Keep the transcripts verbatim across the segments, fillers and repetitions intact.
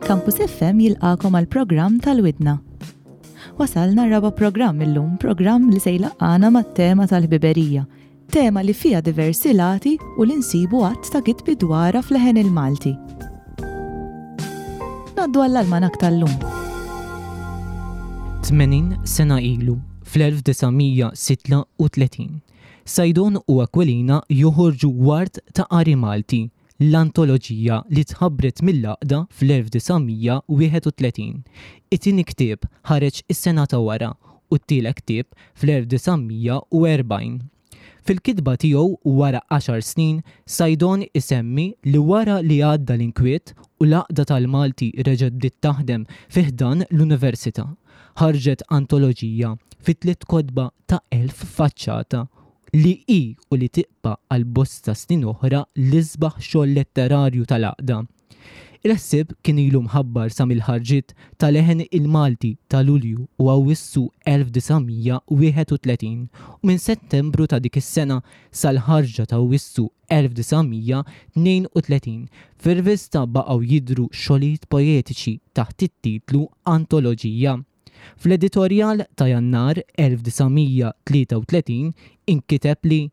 Campus F M jilqagħkom għal programm tal-Widna. Wasalna raba programm illum, programm li se jlaqqagħna mat-tema tal-ħbiberija, tema li fija diversi lati u li nsibu għadd ta' kitbi dwarha f'Leħen il-Malti. Ngħaddu għall-almanak tal-lum. tmenin sena ilu, fl-elf disa' mija sitta u tletin, Saydon u Aquilina joħorġu Wart ta' Qari Malti, l-antoloġija li tħabbret mill-għaqda fl-elf disa' mija wieħed u tletin. It-tieni ktieb ħareġ is-sena ta' wara u t-tielet ktieb fl-elf disa' mija u erbgħin. Fil-kitba tiegħu wara għaxar snin, Saydon isemmi li wara li għadda l-inkwiet u l-għaqda tal-Malti reġgħet bdiet taħdem fi ħdan l-Università, ħarġet antoloġija fi tliet kotba ta' elf faċċata li hi u li tibqa' għal bosta snin oħra l-isbaħ xogħol letterarju tal-għaqda. Il-ħsieb kien ilu mħabbar sa mill-ħarġiet ta' Leħen il-Malti ta' Lulju u Awwissu elf disa' mija wieħed u tletin u minn Settembru ta' dik is-sena sal-ħarġa ta' Awwissu elf disa' mija tnejn u tletin fir-rivista baqgħu jidhru xogħlijiet poetiċi taħt it-titlu Antoloġija. Fl-editorjal ta' Jannar elf disa' mija tlieta u tletin inkiteb li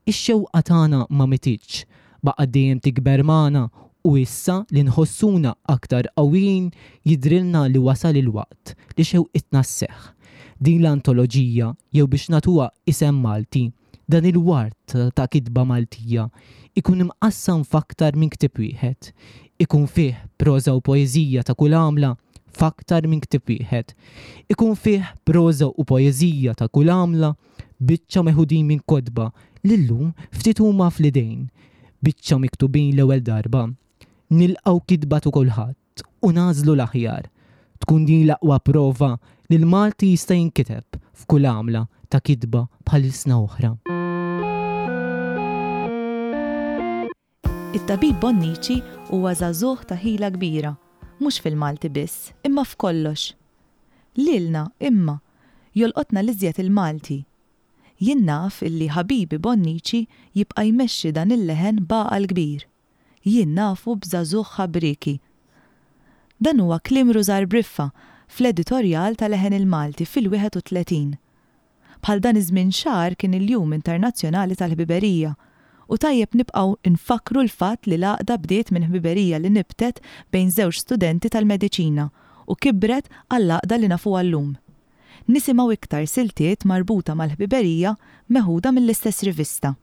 ix-xewqa tagħna ma mititx, baqgħet dejjem tikber magħna u issa li nħossuna aktar qawwijin jidrilna li wasal il-waqt li xewqitna sseħħ. Din l-antoloġija, jew biex nagħtuha isem Malti, dan il-wart ta' kitba Maltija, ikun imqassam f'aktar minn ktieb wieħed. Ikun fih proża u poeżija ta' kull għamla f'aktar minn ktieb wieħed. Ikun fih proża u poeżija ta' kull għamla, biċċa meħudin minn kotba li llum ftit huma fl-idejn, biċċa miktubin l-ewwel darba. Nilqgħu kitba ta' kulħadd u nagħżlu l-aħjar. Tkun din l-aqwa prova li l-Malti jista' jinkiteb f'kull għamla ta' kitba bħal ilsna oħra. It-tabib Bonnici huwa żagħżugħ ta' ħila kbira, mhux fil-Malti biss, imma f'kollox. Lilna, imma, jolqotna l-iżjed il-Malti. Jien naf illi ħabibi Bonnici jibqa' jmexxi dan il-leħen b'għaqal kbir. Jien nafu b'żagħżugħ ħabrieki. Dan huwa kliem Rużar Briffa fl-editorjal ta' Leħen il-Malti fil-wieħed u tletin. Bħal dan iż-żmien xahar kien il-Jum Internazzjonali tal-Ħbiberija u tajjeb nibqgħu nfakru l-fatt li l-għaqda bdiet minn ħbiberija li nibtet bejn żewġ studenti tal-mediċina u kibret għall-għaqda li nafuha llum. Nisimgħu iktar siltiet marbuta mal-ħbiberija meħuda mill-istess rivista.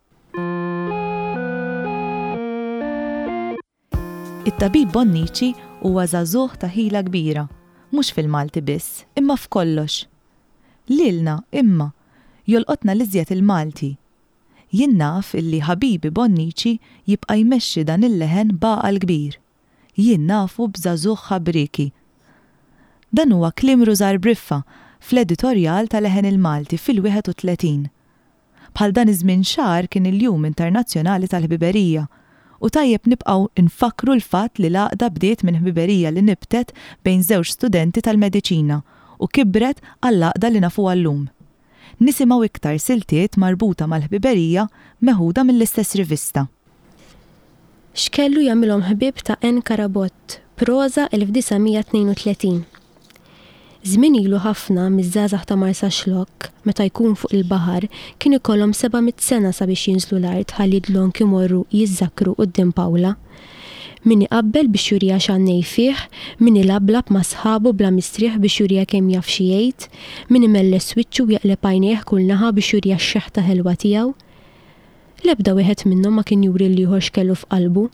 It-tabib Bonnici huwa żagħżugħ ta' ħila kbira, mhux fil-Malti biss, imma f'kollox. Lilna, imma, jolqotna l-iżjed il-Malti. Jien naf illi ħabibi Bonnici jibqa' jmexxi dan il-leħen b'għaqal kbir. Jien nafu b'żagħżugħ ħabrieki. Dan huwa kliem Rużar Briffa fl-editorjal ta' Leħen il-Malti fil-wieħed u tletin. Bħal dan iż-żmien xahar kien il-Jum Internazzjonali tal-Ħbiberija u tajjeb nibqgħu nfakru l-fatt li l-għaqda bdiet minn ħbiberija li nibtet bejn żewġ studenti tal-mediċina u kibret għall-għaqda li nafuha llum. Nisimgħu iktar siltiet marbuta mal-ħbiberija meħuda mill-istess rivista. X'kellu jagħmilhom ħbieb ta' N. Carabott, proża elf disa' mija tnejn u tletin. Żmien ilu ħafna miż-żgħażagħ ta' Marsaxlokk, meta jkun fuq il-baħar, kien ikollhom seba' mitt sena sabiex jinżlu l-art ħalli dlonk imorru jiżżakkru quddiem Pawla. Min iqabbel biex juriha x'għannej fih, min ilablab ma' sħabu bla mistrieħ biex juriha kemm jaf xi jgħid, min imelles wiċċu u jaqleb għajnejh kull naħa biex juriha x-xeħta ħelwa tiegħu. L-ebda wieħed minnhom ma kien juri l-ieħor x'kellu f'qalbu.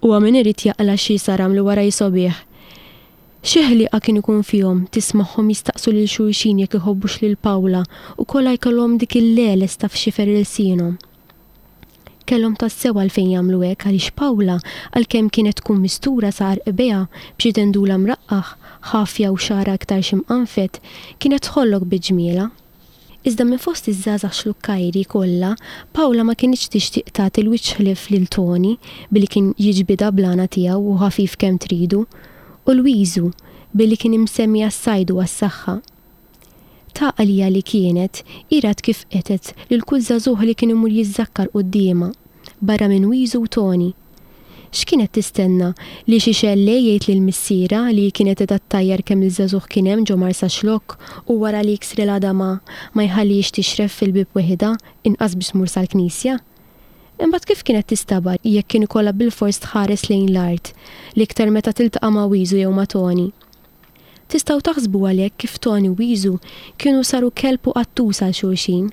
Huwa min irid jaqla' xi saram li wara jisobih. Xi ħliqa kien ikun fihom tismagħhom jistaqsu lil xulxin jekk iħobbux lil Pawla u kollha jkollhom dik il-leles ta' f'xifer ilsienhom. Kellhom tassew għalfejn jagħmlu hekk għaliex Pawla, għalkemm kienet tkun mistura sa għarqbejha b'xi dendula mraqqaħ, ħafja u xagħarha iktar xi mqanfed, kienet tħollok bi ġmielha. Iżda minn fost iż-żgħażagħ xlukkajri kollha, Pawla ma kinitx tixtieq tagħti l-wiċċ ħlief lil Toni billi kien jiġbidha bl-għana tiegħu u ħafif kemm tridu, u Lwiżu billi kien imsemmi għas-sajd u għas-saħħa. Ta' għalija li kienet, hi rat kif qetet lil kull żagħżugħ li kien imur jiżżakkar quddiemha, barra minn Wiżu u Toni. X'kienet tistenna, li xi xellej jgħid lil missierha li hi kienet qiegħda ttajjar kemm il-żagħżugħ kien hemm ġo Marsaxlokk u wara li jiksrilha għadamha ma jħallihiex tixref fil-bieb weħidha, inqas biex tmur sal-knisja? Imbagħad kif kienet tistabar jekk kien ikollha bilfors tħares lejn l-art, l-iktar meta tiltaqa' ma' Wiżu jew ma' Toni? Tistgħu taħsbu għalhekk kif Toni u Wiżu kienu saru kelb u qattus għal xulxin.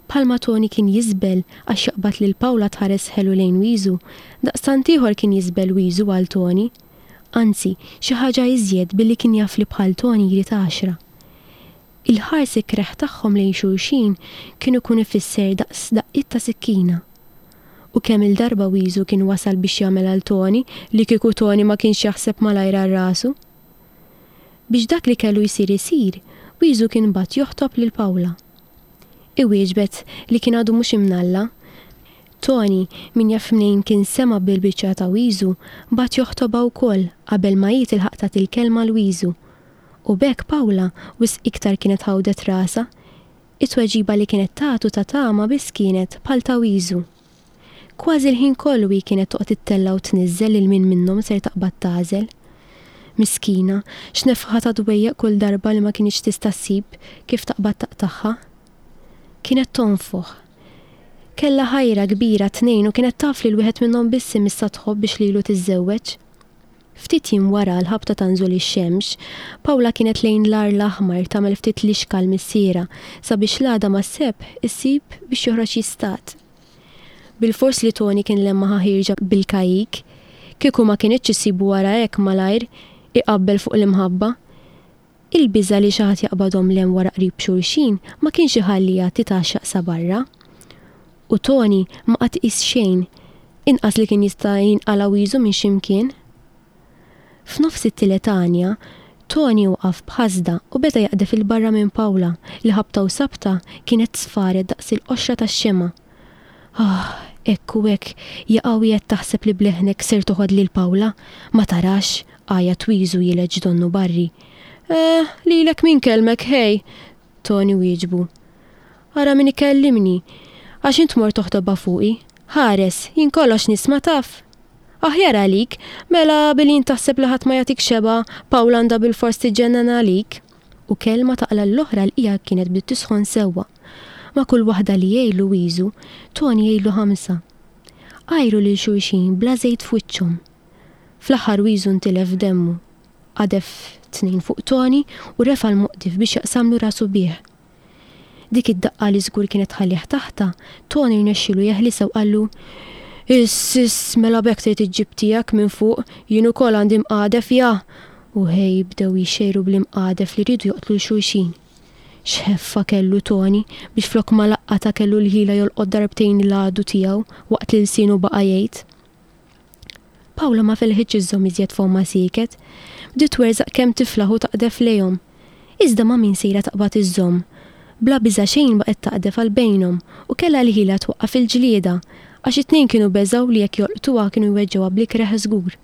Bħalma Toni kien jiżbel għax jaqbad lil Pawla tħares ħelu lejn Wiżu, daqstant ieħor kien jiżbel Wiżu għal Toni. Anzi, xi ħaġa iżjed billi kien jaf li bħal Toni jrid għaxra. Il-ħars ikreh tagħhom lejn xulxin kien ikun ifisser daqs daqqiet ta' sikkina. U kemm-il darba Wiżu kien wasal biex jagħmel għal Toni li kieku Toni ma kienx jaħseb malajr għal rasu. Biex dak li kellu jsir isir, Wiżu kien bagħat joħtob lil Pawla. Iwieġbet li kien għadu mhux imnalla. Toni, min jaf mnejn kien sema' bil-biċċa ta' Wiżu, bagħat joħtobha wkoll qabel ma hi tilħaq tagħti l-kelma 'l Wiżu. U b'hekk Pawla wisq iktar kienet ħawdet rasha. It-tweġiba li kienet tagħtu ta' tama biss kienet bħal ta' Wiżu. Kważi l-ħin kollu hi kienet toqgħod ittella' u tniżżel lil min minnhom ser taqbad tagħżel. Miskina, x'nefħa ta' dwejjaq kull darba li ma kinitx tista' ssib kif taqbad taqtagħha. Kienet tonfoħ. Kellha ħajra kbira t-tnejn u kienet taf li l-wieħed minnhom biss imissha tħobb biex lilu tiżżewweġ. Ftit jiem wara l-ħabta ta' nżul ix-xemx, Pawla kienet lejn l-Għar l-Aħmar tagħmel ftit lixka għal missierha sabiex l-għada mas-sebħ issib biex joħroġ jistad. Bilfors li Toni kien lemmaħha ħierġa bil-kajjik, kieku ma kinitx issibu wara hekk malajr iqabbel fuq l-imħabba. Il-biża' li xi ħadd jaqbadhom 'l hemm wara qrib xulxin ma kienx iħalliha titgħaxxaq sa barra. U Toni ma qagħad iqis xejn, inqas li kien jista' jinqala' wiżu minn xi mkien. F'nofs it-tielet għanja, Toni waqaf b'ħasda u beda jaqdef 'il barra minn Pawla li ħabta u sabta kienet sfaret daqs il-qoxra tax-xemgħa. Ah, hekk u hekk jaqa' wieħed taħseb li b'leħnek ser toħod lil Pawla, ma tarax, għajat wiżu jileġ donnu barri. Eh, lilek min kellmek, ħej, Toni wieġbu. Ara min ikellimni, għax int mort toħtobha fuqi. Ħares, jien kollox nisma' taf. Aħjar għalik, mela billi int taħseb li ħadd ma jagħtik xebgħa, Pawla għandha bilfors tiġġennen għalik. U kelma taqla' l-oħra l-qiegħa kienet bdiet tisħon sewwa. Ma' kull waħda li jgħidlu Wiżu, Toni jgħidlu ħamsa. Għajru lil xulxin bla żejt f'wiċċhom. Fl-aħħar Wiżu ntilef demmu. Qadef tnejn fuq Toni u refa' l-moqdif biex jaqsamlu rasu bih. Dik id-daqqa li żgur kienet tħallih taħta, Toni rnexxielu jeħlisha u qallu, Iss, iss, mela b'hekk trid iġġib tiegħek minn fuq, jien ukoll għandi mqadef, ja! U ħej bdew jixxejru bl-imqadef li riedu joqtlu 'l xulxin. X'ħeffa kellu Toni biex flok ma laqqatha kellu l-ħila jolqot darbtejn l-għadu tiegħu waqt li lsienu baqa' jgħid. Pawla ma felħitx iżżomm iżjed fommha sieket. Bdiet twerżaq kemm tiflaħ u taqdef lejhom. Iżda ma' min sejra taqbad iżżomm? Bla biża' xejn baqgħet taqdef għal bejnhom u kellha l-ħila twaqqaf il-ġlieda għax it-tnejn kienu beżgħu li jekk jolqtuha kienu jweġġgħuha bl-ikreh żgur.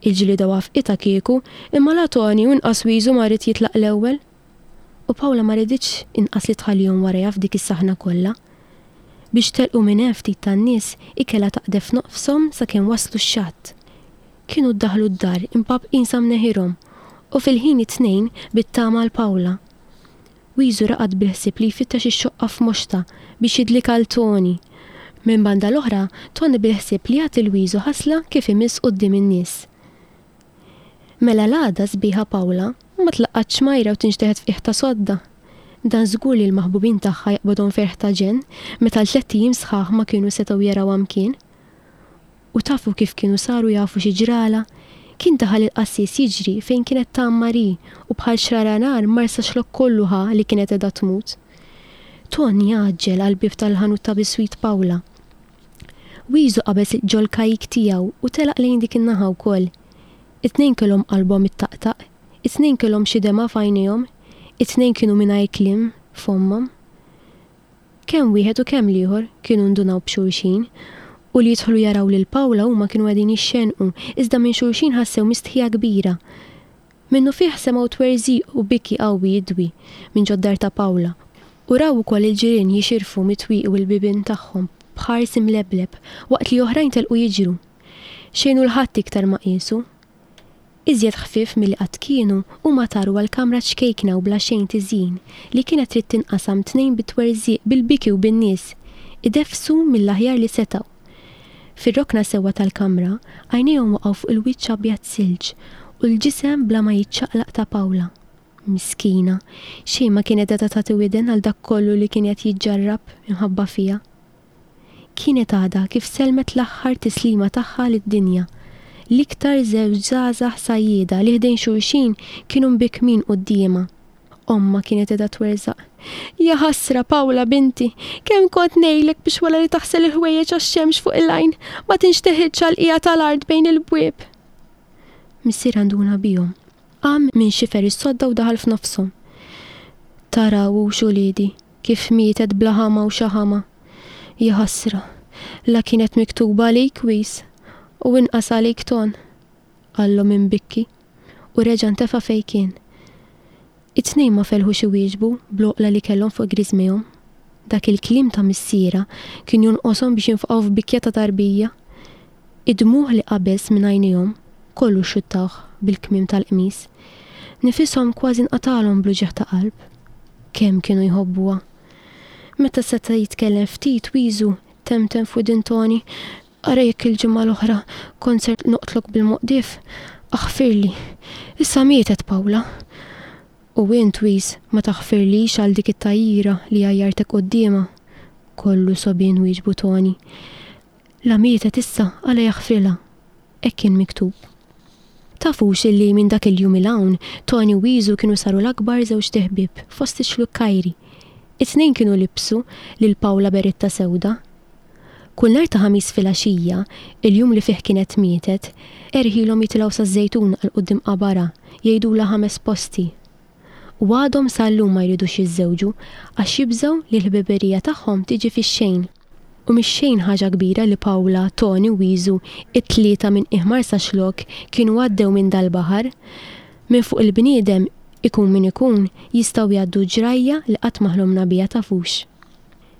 Il-ġlieda wafqitha kieku, imma la Toni u inqas Wiżu ma ried jitlaq l-ewwel. U Pawla ma riditx inqas li tħallihom warajha f'dik is-saħna kollha. Biex telqu minn hemm ftit tan-nies, hi kellha taqdef nofshom sakemm waslu x-xatt. Kienu ddaħlu d-dar impabqin sa mneħirhom u fil-ħin it-tnejn bit-tama għal Pawla. Wiżu raqad bil-ħsieb li jfittex ix-xoqqa f'moxta biex jidlik għal Toni. Minn banda l-oħra, Toni bil-ħsieb li jagħti 'l Wiżu ħasla kif imiss quddiem in-nies. Mela l-għada sbieħa Pawla ma tlaqqatx xmajra u tinxteħet f'qiegħ ta' sodda. Dan żgur li l-maħbubin tagħha jaqbadhom ferħ ta' ġenn meta l-tlett ijiem sħaħ ma kienu setgħu jarawha mkien. U tafu kif kienu saru jafu xi ġralha? Kien daħal il-qassis jiġri fejn kienet tgħammar hi u bħal xrara nar Marsaxlokk kollu ħa li kienet qiegħda tmut. Toni għaġġel għall-bieb tal-ħanut ta' biswit Pawla. Wiżu qabeż ġol-kajjik tiegħu u telaq lejn dik in-naħa wkoll. It-tnejn kellhom qalbhom ittaqtaq, it-tnejn kellhom xi demgħa f'għajnejhom, it-tnejn kienu mingħajr kliem f'fommhom. Kemm wieħed u kemm l-ieħor kienu ndunaw b'xulxin u li jidħlu jaraw lil Pawla huma kienu qegħdin jixxenqu, iżda minn xulxin ħassew mistħija kbira. Minnufih semgħu twerżiq u biki qawwi jidwi minn ġod-dar ta' Pawla u raw ukoll il-ġirien jixirfu mit-twieqi u l-bibien tagħhom b'ħars imlebleb waqt li oħrajn telqu jiġru. Xejn u l-ħadd iktar ma qiesu. Iżjed ħfief milli qatt kienu, huma taru għall-kamra ċkejkna u bla xejn tiżjin, li kienet trid tinqasam tnejn bit-twerżiq, bil-biki u bin-nies, ideffsu mill-aħjar li setgħu. Fir-rokna sewwa tal-kamra, għajnejhom waqgħu fuq il-wiċċ abjad silġ u l-ġisem bla ma jiċċaqlaq ta' Pawla. Miskina, xejn ma kienet qiegħda tagħti widen għal dak kollu li kien qed jiġġarrab minħabba fiha. Kienet għadha kif sellmet l-aħħar tislima tagħha lid-dinja. L-iktar żewġ żgħażagħ sajjieda li ħdejn xulxin kienu mbikkmin quddiemha. Ommha kienet qiegħda twerżaq. Ja ħasra, Pawla binti, kemm kont ngħidlek biex wara li taħsel il-ħwejjeġ għax-xemx fuq il-għajn ma tinxteħilx għall-qiegħa tal-art bejn il-bwieb. Missierha nduna bihom. Qam minn xifer is-sodda u daħal f'nofshom. Taraw hux uliedi, kif mietet bla ħama u xaħama. Ja ħasra, la kienet miktuba għalik Wis, u inqas għalik Ton, qallhom imbikki, u reġa' ntefa' fejn kien. It-tnejn ma felħux iwieġbu bl-għoqla li kellhom fuq griżmejhom. Dak il-kliem ta' missierha kien jonqoshom biex jinfqgħu f'bikja ta' tarbija. Id-dmugħ li qabeż minn għajnejhom kollu xuttawh bil-kmiem tal-qmis. Nifishom kważi nqatalhom bl-uġigħ ta' qalb. Kemm kienu jħobbuha. Meta seta' jitkellem ftit Wiżu temtem f'widin Toni, ara jekk il-ġimgħa l-oħra kont ser noqtlok bil-moqdief, aħfirli. Issa mietet Pawla. U int Wiż ma taħfirlix għal dik it-tajjira li għajjartek quddiemha. Kollu sobien wieġbu Toni. La mietet issa għala jaħfrilha. Hekk kien miktub. Tafux illi minn dak il-jum 'il hawn Toni u Wiżu kienu saru l-akbar żewġ ħbieb fost ix-xlukkajri. It-tnejn kienu libsu lil Pawla beretta sewda. Kull nhar ta' Ħamis filgħaxija, il-jum li fih kienet mietet, erħilhom jitilgħu saż-Żejtun għal quddiem qabarha, jgħidulha ħames posti. U għadhom sal-lum ma jridux jiżżewġu għax jibżgħu li l-ħbiberija tagħhom tiġi fix-xejn. U mhix xejn ħaġa kbira li Pawla, Toni u Wiżu, it-tlieta minn qiegħ Marsaxlokk kienu għaddew minn dal-baħar. Minn fuq il-bniedem, ikun min ikun, jistgħu jgħaddu ġrajja li qatt ma ħlomna biha tafux.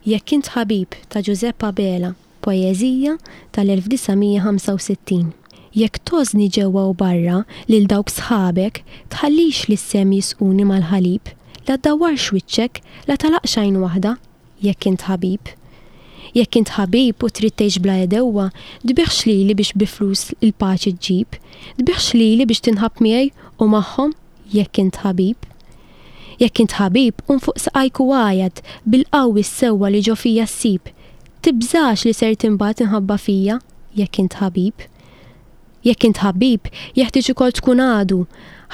Jekk int ħabib ta' Giuseppe Abela, poeżija tal-elf disa' mija ħamsa u sittin. Jekk tożni ġewwa u barra lil dawk sħabek, tħallix li s-sem jisquni mal-ħalib, la ddawwarx wiċċek, la talaqx għajn waħda, jekk int ħabib. Jekk int ħabib u trid tgħix bla edewwa, tbieħx lili biex bi flus il-paċi ġġib, tbieħx lili biex tinħab miegħi u magħhom, jekk int ħabib. Jekk int ħabib, qum fuq saqajk u għajat bil-qawwi s-sewwa li ġo fija ssib. Tibżax li ser tinbagħat inħabba fija, jekk int ħabib. Jekk int ħabib, jeħtieġ ukoll tkun għadu.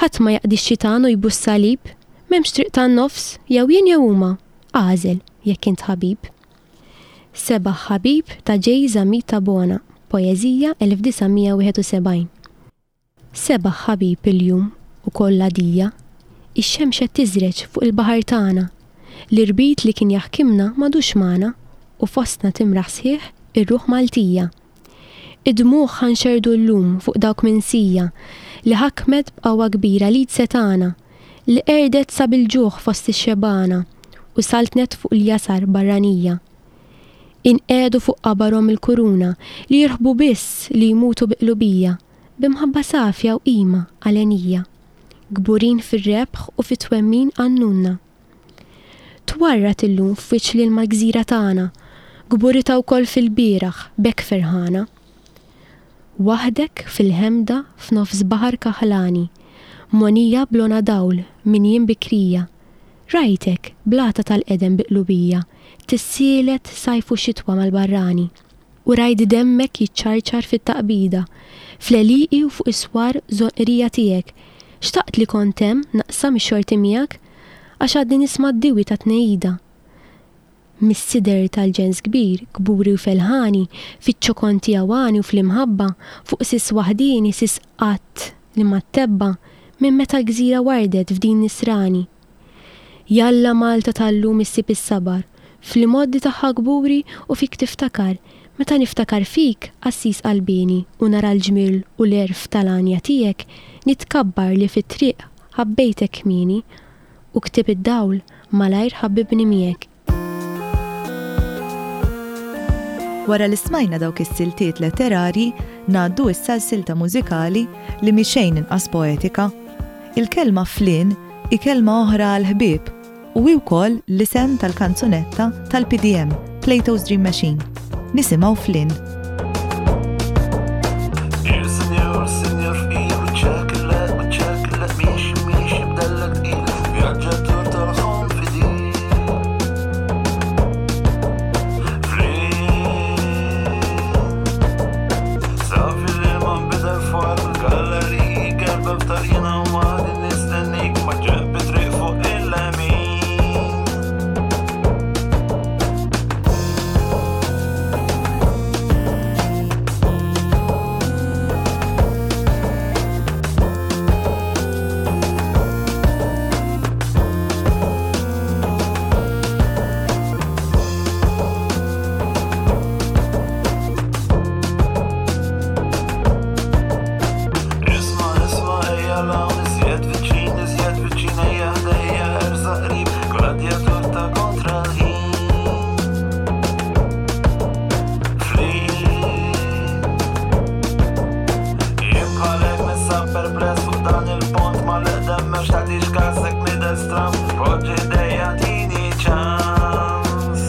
Ħadd ma jaqdi x-xitan u jbus salib. M'hemmx triq tan-nofs, jew jien jew huma. Għażel, jekk int ħabib. Sebaħ ħabib ta' J. Zammit Tabona, poeżija elf disa' mija wieħed u sebgħin. Sebaħ ħabib il-jum u kollha dija, ix-xemx qed tiżreġ fuq il-baħar tagħna. L-irbit li kien jaħkimna m'għadux magħna u fostna timraħ sħiħ ir-ruħ Maltija. Id-dmugħ ħanxerdu llum fuq dawk minsija li ħakmet b'qawwa kbira l-id setgħana, li qerdet sa bil-ġuħ fost ix-xebgħana u saltnet fuq il-jasar barranija. Inqegħdu fuq qabarhom il-kuruna li jirħbu biss li jmutu bi qlubija, b'imħabba safja u qima għalenija, kburin fir-rebħ u fit-twemmin għannunna. Twarrat illum f'wiċċ l-ilma l-gżira tagħna, kburita wkoll fil-bieraħ b'hekk ferħana. Waħdek fil-ħemda f'nofs baħar kaħlani, monija blona dawl minn jiem bikrija, rajtek blata tal-qedem bi qlubija, tissielet sajf u xitwa mal-barrani, u rajt demmek jiċċarċar fit-taqbida, fl-għelieqi u fuq is-swar żonqrija tiegħek, xtaqt li kont hemm naqsam ix-xorti miegħek, għax għadni nisma' d-diwi ta' tnejida. Mis-sider tal-ġens kbir, kburi u felħani, fiċ-ċokon tiegħu għani u fl-imħabba, fuq sis waħdini, sis qatt li ma tebba, minn meta l-gżira wardet f'din nisrani. Jalla Malta tal-lum issib is-sabar, fl-imoddi tagħha kburi u fik tiftakar, meta niftakar fik, qassis qalbini, u nara l-ġmiel u l-għerf tal-għanja tiegħek, nitkabbar li fit-triq ħabbejtek kmieni, u ktib id-dawl malajr ħabbibni miegħek. Wara li smajna dawk is-siltiet letterarji, Ngħaddu issa l-silta mużikali li mhi xejn inqas poetika. Il-kelma flin hi kelma oħra għal ħbieb u hi wkoll l-isem tal-kanzunetta tal-P D M, Plato's Dream Machine. Nisimgħu Flynn. Signor, signor, fqir, wiċċek le, wiċċek le, miexi, miexi, b'dellek tqil, vjaġġatur tal-ħolm fidil. Flynn, safi li ma nbidel fwar il-galleriji, kelba f'tarjina u għadi nistennik ma ġembi triq fuq il-lemin. Isma, isma, ejja l-hawn, iżjed viċin, iżjed viċin, ejja ħdejja, ersaq qrib, gladjatur ta' kontra l-ħin. Flynn, jien bħalek ninsab perpless fuq dan il-pont ma l-eqdem mex tagħtix kasek nidher stramb, poġġi ħdejja tini ċans.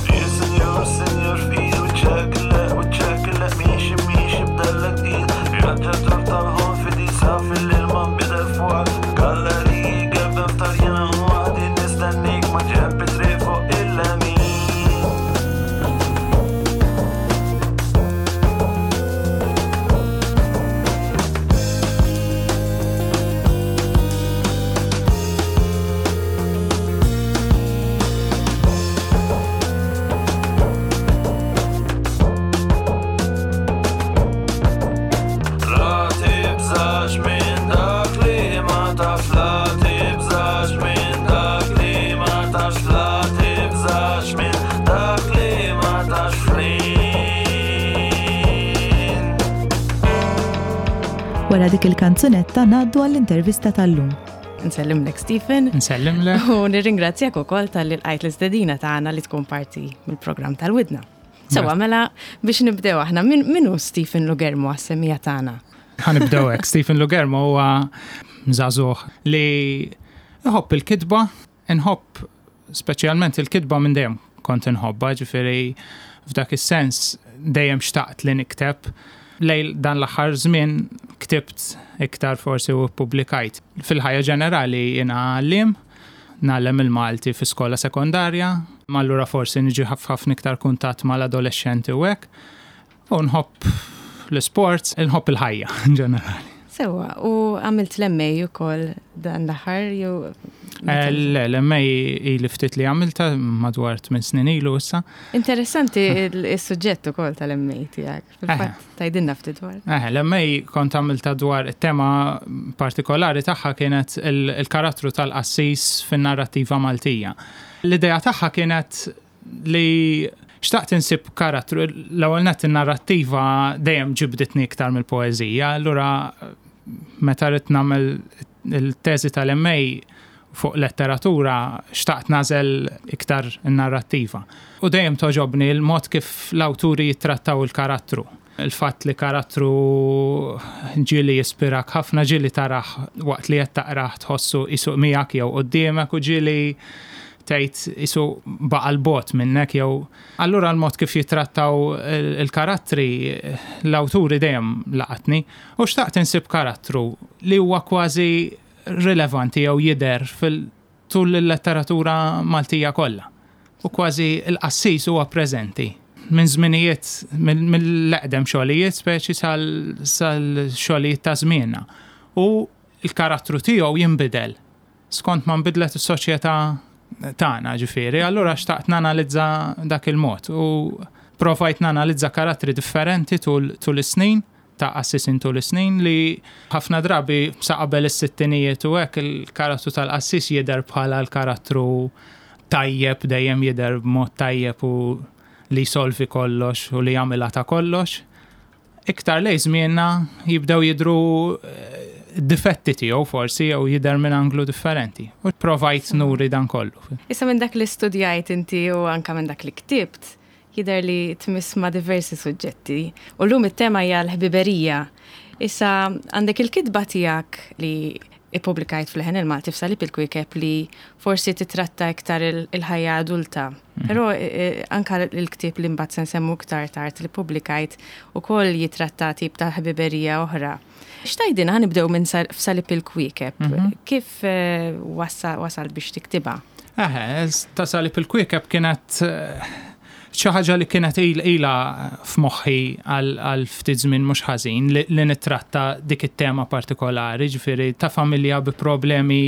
Dear signor, signor, fqir, wiċċek le, wiċċek le, miexi, miexi, b'dellek tqil, vjaġġatur tal-ħolm fidil, safi li ma nbidel fwar, galleriji, gelbem f'tarjina u għadi nistennik ma ġembi triq fuq il-lemin. La tibżax minn dak li ma tafx, la tibżax minn dak li ma tafx, la tibżax minn dak li ma tafx, Flynn. Wara dik il-kanzunetta ngħaddu għall-intervista tal-lum. Nsellimlek, Stephen. Nsellimlek. U nirringrazzjak ukoll talli lqajt l-istedina tagħna li tkun parti mill-programm tal-Widna. Sewwa, mela biex nibdew aħna, min min hu Stephen Lughermo għas-semmiegħa tagħna? Ħa nibdew hekk. Stephen Lughermo huwa żagħżugħ li iħobb il-kitba, inħobb speċjalment il-kitba minn dejjem kont inħobbha, ġifieri f'dak is-sens dejjem xtaqt li nikteb. Lejn dan l-aħħar żmien ktibt iktar forsi u publikajt. Fil-ħajja ġenerali jiena għalliem, ngħallem il-Malti fi skola sekondarja, ma allura forsi niġi ħafna iktar kuntatt mal-adolescenti u hekk. U nħobb l-sports, nħobb il-ħajja in ġenerali. Sewwa, u għamilt l-M A ukoll dan l-aħħar jew? Eh, Le, l-M A ili ftit li għamilta madwar tmien snin ilu issa. Interessanti il-suġġett ukoll tal-M A tiegħek. Fil-fatt tgħidilna ftit dwar. Eh, l-M A kont għamilta dwar it-tema partikolari tagħha kienet il- il-karattru tal-qassis fin-narrattiva Maltija. L-idea tagħha kienet li xtaqt insib karattru, l-ewwel nett in-narrattiva dejjem ġibditni iktar mill-poeżija, allura meta rrid nagħmel il-teżi tal-M A fuq letteratura xtaqt nagħżel iktar in-narrattiva. U dejjem togħġobni l-mod kif l-awturi jittrattaw il-karattru. Il-fatt li karattru ġieli jispirak ħafna, ġieli tarah waqt li qed taqrah tħossu qisu miegħek jew quddiemek u ġieli tgħid qisu baqa' 'l bogħod minnek jew allura l-mod kif jitrattaw il-karattri l-awturi dejjem laqatni u xtaqt insib karattru li huwa kważi rilevanti jew jidher fil-tul il-letteratura Maltija kollha. U kważi il-qassis huwa preżenti minn żminijiet mill-eqdem xogħlijiet speċi sal-xogħlijiet ta' żmienna. U l-karattru tiegħu jinbidel skont ma nbidlet is-soċjetà tagħna ġifieri, allura xtaqt nanalizza dak il-mod u provajt nanalizza karattri differenti tul, tul is-snin ta' qassisin tul is-snin li ħafna drabi sa qabel is-sittinijiet u hekk il-karattru tal-qassis jidher bħala l-karattru tajjeb, dejjem jidher b'mod tajjeb u li jsolvi kollox u li jagħmilha ta' kollox. Iktar lejn żmienna jibdew jidhru difetti tiegħu forsi jew jidher minn anglu differenti. U provajt nuri dan kollu. Issa minn dak li studjajt inti u anka minn dak li ktibt, jidher li tmiss ma' diversi suġġetti. U llum it-tema hija l-ħbiberija. Issa għandek il-kitba tiegħek li ippubblikajt f'Leħen il-Malti f'Salib il-Kwiekeb li forsi titratta iktar il-ħajja adulta. Però anka il-ktieb li mbagħad se nsemmu iktar tard li ppubblikajt ukoll jitratta tip ta' ħbiberija oħra. X'tgħidilna, ħa nibdew minn f'Salib il-Kwiekeb. Kif wasal biex tiktibha? Eħe, ta' Salib il-Kwiekeb kienet xi ħaġa li kienet ilha f'moħħi għal ftit żmien mhux ħażin li nittratta dik it-tema partikolari, ġifieri ta' familja bi problemi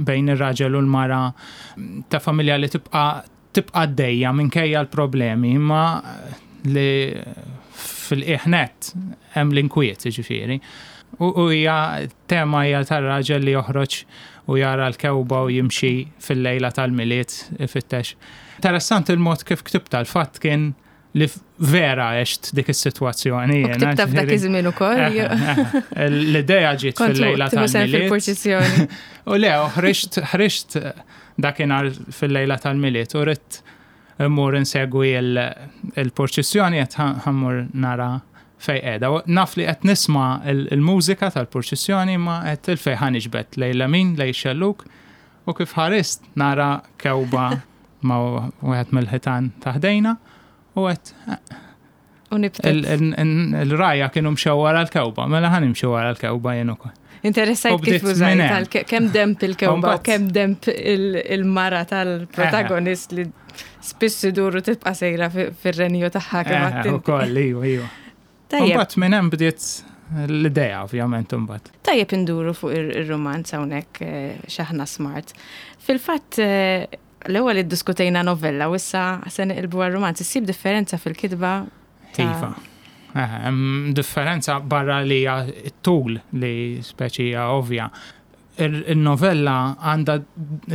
bejn ir-raġel u l-mara, ta' familja li tibqa' tibqa' għaddejja minkejja l-problemi, imma li fil-qiegħ nett hemm l-inkwiet, ġifieri. U hija tema hija tar-raġel li joħroġ u jara l-kewba u jimxi fil-lejla tal-Milied ifittex. Interessanti il-mod kif ktibta, l-fatt kien li vera għext dik is-sitwazzjoni. U ktibta f'dak iż-żmien ukoll. L-idea ġiet fil-lejla tal-Milied. U le, ħriġt ħriġt dakinhar fil-lejla tal-Milied u ridt immur insegwi il-purċissjoni qed ħa mmur nara fejn qiegħda. Naf li qed nisma' il-mużika tal-purċissjoni ma qed il-fejn ħa niġbed lejn lemin lejn xelluk u kif ħarist nara kewba ma' wieħed mill-ħitan ta' ħdejna u qed il-rgħajja kienu mxew wara l-kewba, mela ħa nimxi wara l-kewba jien ukoll. Interessajt kif użajt kemm demp il-kewba u kemm demp il-mara tal-protagonist li spiss iduru tibqa' sejra fir-renju tagħha kemm għadt. Ukoll, iva, iva. Tajjeb. Imbagħad minn hemm bdiet l-idea ovvjament imbagħad. Tajjeb induru fuq ir-romanz hawnhekk x'aħna smart. Fil-fatt l-ewwel iddiskutejna novella u issa se neqilbu għar-romanz. Issib differenza fil-kitba? Iva. Hemm differenza barra li hija t-tul li speċi hija ovvja. Il-novella għandha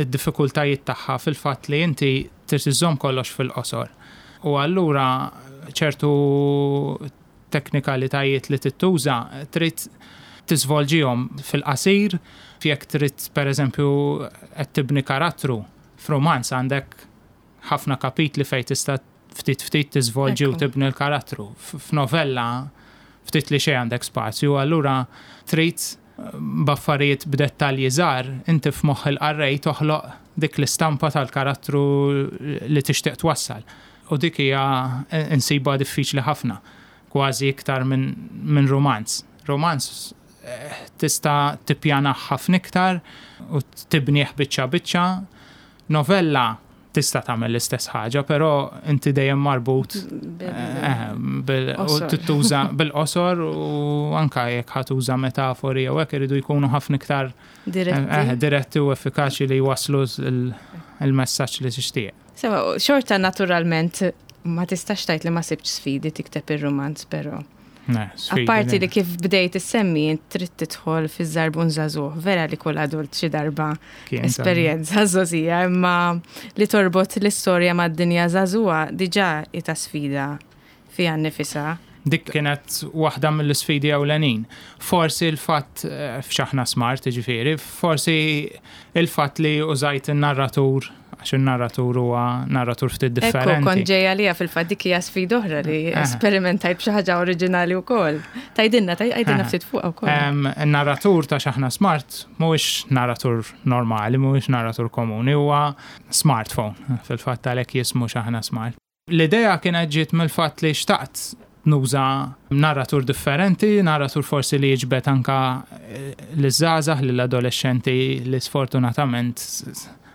d-diffikultajiet tagħha fil-fatt li inti trid iżżomm kollox fil-qosor. U allura ċertu teknikalitajiet li tittuża trid tiżvolġihom fil-qasir, jekk trid pereżempju qed tibni karattru f'romanz għandek ħafna kapitli fejn tista' ftit ftit tiżvolġi u tibni l-karattru. F'novella ftit li xejn għandek spazju, allura trid b'affarijiet b'dettalji żgħar inti f'moħħ il-qarrej toħloq dik l-istampa tal-karattru li tixtieq twassal. U dik hija insiba diffiċli ħafna, kważi iktar minn min romanz. Romanz tista' tippjana ħafna iktar u tibnieh biċċa biċċa. Novella tista' tagħmel l-istess ħaġa, però inti dejjem marbut u tittuża bil-qosor u anka jekk ħa tuża metafori jew hekk iridu jkunu ħafna iktar diretti u effikaċi li jwasslu il-messaġġ li tixtieq. Sewa, xorta naturalment ma tistax tgħid li ma sibtx sfidi tikteb ir-romanz, però. Apparti li kif bdejt issemmi int trid tidħol fiż-żarbun żagħżugħ, vera li kull adult xi darba esperjenza żgħożija, imma li torbot l-istorja mad-dinja żagħżugħa diġà hi ta' sfida fiha nnifisha. Dik kienet waħda mill-isfidi ewlenin. Forsi l-fatt eh, f'X'Aħna Smart, ġifieri, forsi il-fatt li użajt il-narratur, għax il-narratur huwa narratur ftit differenti. Ekku, kont ġejja li fil-fatt dik hija sfida oħra li eh. esperimentajt b'xi ħaġa oriġinali wkoll. Tgħidilna, tgħidilna eh. ftit fuq ukoll. Il-narratur ta' X'Aħna Smart mhuwiex narratur normali, mhuwiex narratur komuni, huwa smartphone. Fil-fatt għalhekk jismu X'Aħna Smart. L-idea kienet ġiet mill-fatt li xtaqt nuża narratur differenti, narratur forsi li jiġbed anka eh, l-żgħażagħ, l-adolexxenti li sfortunatament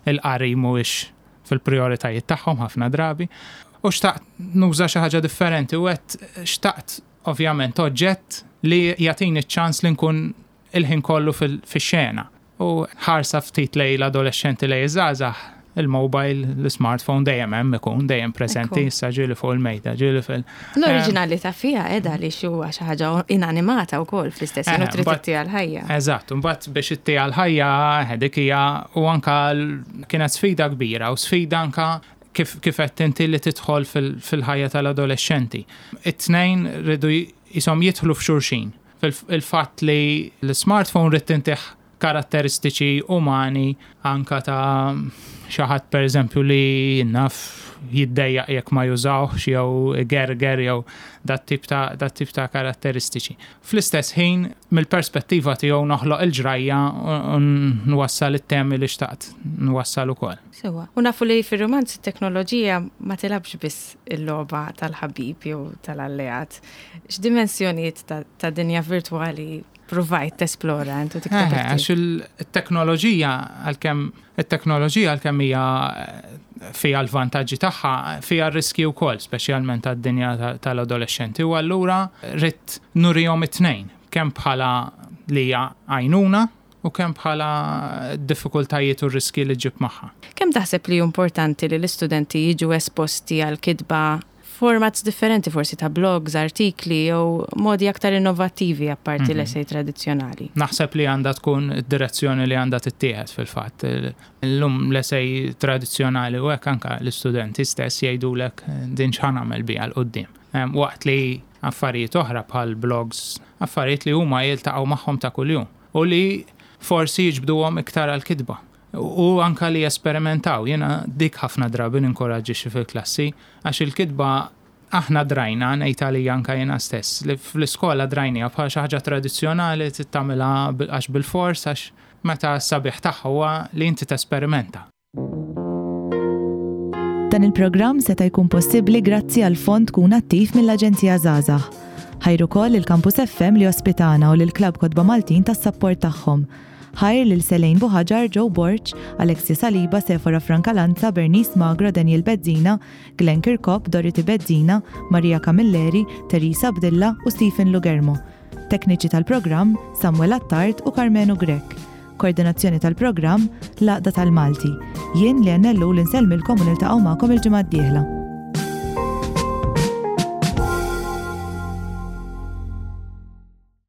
il-qari mhuwiex fil-prioritajiet tagħhom ħafna drabi. U xtaqt nuża xi ħaġa differenti u għedt xtaqt ovvjament oġġett li jagħtini ċ-ċans li nkun il-ħin kollu fil-xena. U ħarsa ftit lejn l-adolexxenti, lejn iż-żgħażagħ, il-mobile, l-smartphone dejjem hemm ikun, dejjem preżenti, issa ġieli fuq il-mejda, ġieli fil. L-oriġinalità fiha qiegħda li huwa xi ħaġa inanimata wkoll fl-istess ħin u trid ittiha l-ħajja. Eżatt, mbagħad biex ittiha l-ħajja dik hija u anka kienet sfida kbira u sfida anka kif kif qed inti li tidħol fil-ħajja tal-adolexxenti. It-tnejn rridu jisom jidħlu f'xulxin. Fil-fatt li l-smartphone rrid intih karatteristiċi umani anka ta' xi ħadd, per eżempju, li naf jiddejjaq jekk ma jużawx jew gerger jew dat tip ta' dat tip ta' karatteristiċi. Fl-istess ħin, mill-perspettiva tiegħu noħloq il-ġrajja u nwassal it-temi li xtaqt nwassal ukoll. Sewa. U nafu li fir-romanz it-teknoloġija ma tilgħabx biss il-logħba tal-ħabib jew tal-alleat. X'dimensjonijiet ta', ta dinja virtwali provajt tesplora intu tikteb? Għax il-teknoloġija, għalkemm it-teknoloġija għalkemm hija fiha l-vantaġġi tagħha, fiha r-riski wkoll, speċjalment għad-dinja tal-adolexxenti. U allura ridt nurihom it-tnejn, kemm bħala li hija għajnuna u kemm bħala diffikultajiet u riski li ġib magħha. Kemm taħseb li importanti li l-istudenti jiġu esposti għal kitba formats differenti, forsi ta' blogs, artikli jew modi aktar innovattivi apparti mm -hmm. l-essay tradizzjonali? Naħseb li għandha tkun id-direzzjoni li għandha tittieħed fil-fatt. Illum l-essay tradizzjonali u hekk anka l-istudenti stess jgħidulek din x'ħa nagħmel biha 'l quddiem? Waqt li affarijiet oħra bħal blogs, affarijiet li huma jiltaqgħu magħhom ta' kuljum u li forsi jiġbduhom iktar għal-kitba. U anka li jesperimentaw, jena dik ħafna drabi ninkoraġġixxi fil-klassi, għax il-kitba aħna drajna, ngħid għalija anka jena stess, li fl-iskola drajnija bħal xi ħaġa tradizzjonali tagħmilha għax bil-fors, għax meta s-sabiħ tagħha huwa li inti tesperimenta. Dan il-programm seta' jkun possibbli grazzi għal fond Kun Attiv mill-Aġenzija Żgħażagħ. Ħajr ukoll il-Campus F M li ospitana u lill-Klabb Kotba Maltin tas-sapport tagħhom. Ħajr lil Selejn Buħaġar, Joe Borch, Alexia Saliba, Sefora Francalanza, Bernice Magro, Daniel Bezzina, Glenn Kirkop, Dorothy Bezzina, Maria Camilleri, Teresa Abdilla u Stephen Lugermo. Tekniċi tal-programm Samuel Attard u Carmenu Grek. Koordinazzjoni tal-programm l-Għaqda tal-Malti. Jien li għannellu l-insellmilkom u niltaqgħu magħkom il-ġimgħa d-dieħla.